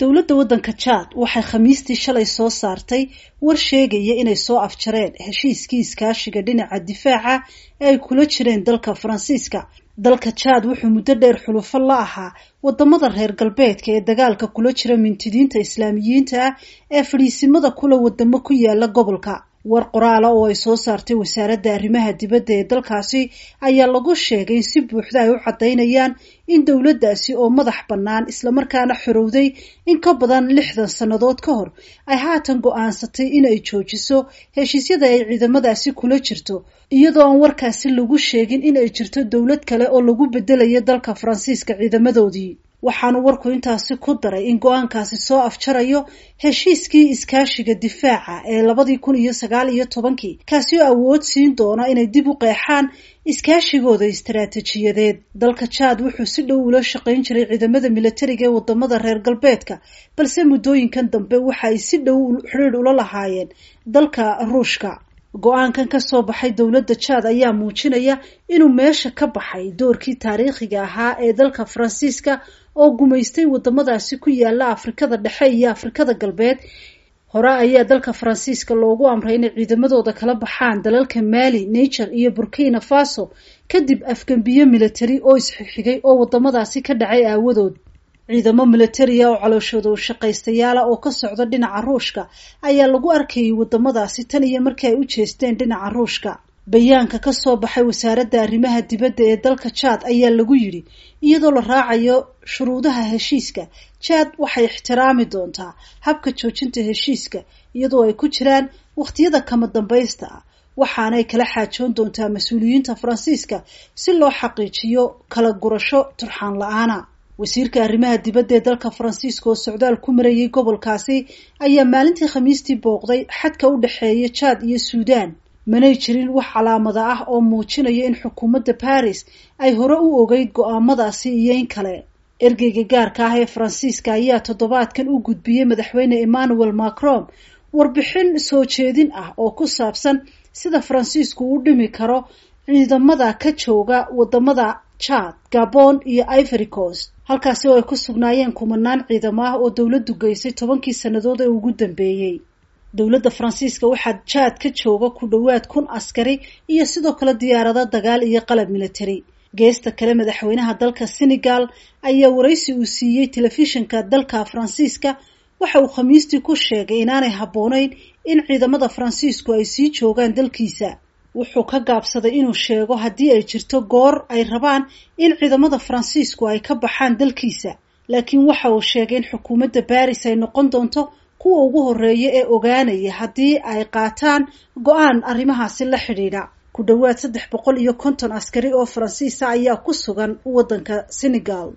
Dowladda waddanka Chad waxay Khamiistii shalay soo saartay war sheegaya inay soo afjareen heshiiskii iskaashiga dhinaca difaaca ee ay kula jireen dalka Faransiiska. Dalka Chad wuxuu muddo dheer xulufo la ahaa wadamada reer galbeedka ee dagaalka kula jira mintidiinta Islaamiyiinta ah ee fadhiisimada kula wadamo ku yaala gobolka. War qoraala oo ay soo saartay wasaaradda arrimaha dibadda ee dalkaasi ayaa lagu sheegay in si buuxda ay u caddaynayaan in dowladdaasi oo madax bannaan islamarkaana xorowday in ka badan 60 sannadood ka hor ay haatan go'aansatay in ay joojiso heshiisyada ay ciidamadaasi kula jirto, iyadoo aan warkaasi lagu sheegin in ay jirto dowlad kale oo lagu bedelayo dalka Faransiiska ciidamadoodii. Waxaanu warku intaasi ku daray in go'aankaasi soo afjarayo heshiiskii iskaashiga difaaca ee 2019-kii, kaasi oo awood siin doona inay dib u qeexaan iskaashigooda istaraatiijiyadeed. Dalka Chad wuxuu si dhow ula shaqayn jiray ciidamada militariga ee wadamada reer galbeedka, balse muddooyinkan dambe waxa ay si dhow xidhiidh ula lahaayeen dalka Ruushka. Go'aankan ka soo baxay dowladda Chad ayaa muujinaya inuu meesha ka baxay doorkii taariikhiga ahaa ee dalka Faransiiska oo gumaystay wadamadaasi ku yaala Afrikada Dhexe iyo Afrikada Galbeed. Hore ayaa dalka Faransiiska loogu amray inay ciidamadooda kala baxaan dalalka Mali, Niger iyo Burkina Faso kadib afgembiyo militari oo isxigxigay oo wadamadaasi ka dhacay aawadood. Ciidamo militariya oo calooshooda u shaqaystayaala oo ka socda dhinaca Ruushka ayaa lagu arkayay wadamadaasi tan iyo markii ay u jeesteen dhinaca Ruushka. Bayaanka ka soo baxay wasaaradda arrimaha dibadda ee dalka Chad ayaa lagu yidhi, iyadoo la raacayo shuruudaha heshiiska, Chad waxay ixtiraami doontaa habka joojinta heshiiska iyadoo ay ku jiraan wakhtiyada kama dambaysta ah, waxaanay kala xaajoon doontaa mas-uuliyiinta Faransiiska si loo xaqiijiyo kala gurasho turxaan la'aana. Wasiirka arrimaha dibadda ee dalka Faransiiska oo socdaal ku marayay gobolkaasi ayaa maalintii Khamiistii booqday xadka u dhexeeya Chad iyo Suudaan. Manay jirin wax calaamada ah oo muujinaya in xukuumadda Paris ay hore u ogeyd go'aamadaasi iyo in kale. Ergeyga gaarka ah ee Faransiiska ayaa toddobaadkan u gudbiyey madaxweyne Emmanuel Macron warbixin soo jeedin ah oo ku saabsan sida Faransiisku u dhimi karo ciidamada ka jooga wadamada Chad, Gabon iyo Ivory Coast, halkaasi oo ay ku sugnaayeen kumanaan ciidamo ah oo dowladdu geysay 10-kii sannadood ee ugu dambeeyey. Dowladda Faransiiska waxaa Chad ka jooga ku dhowaad 1000 askari iyo sidoo kale diyaarado dagaal iyo qalab militari. Geesta kale, madaxweynaha dalka Senegal ayaa waraysi uu siiyey telefishinka dalka Faransiiska waxa uu Khamiistii ku sheegay inaanay habboonayn in ciidamada Faransiisku ay sii joogaan dalkiisa. Wuxuu ka gaabsaday inuu sheego haddii ay jirto goor ay rabaan in ciidamada Faransiisku ay ka baxaan dalkiisa, laakiin waxa uu sheegay in xukuumadda Paris ay noqon doonto kuwa ugu horreeya ee ogaanaya haddii ay qaataan go'aan arrimahaasi la xidhiidha. Ku dhowaad 350 askari oo Faransiisa ayaa ku sugan waddanka Senegal.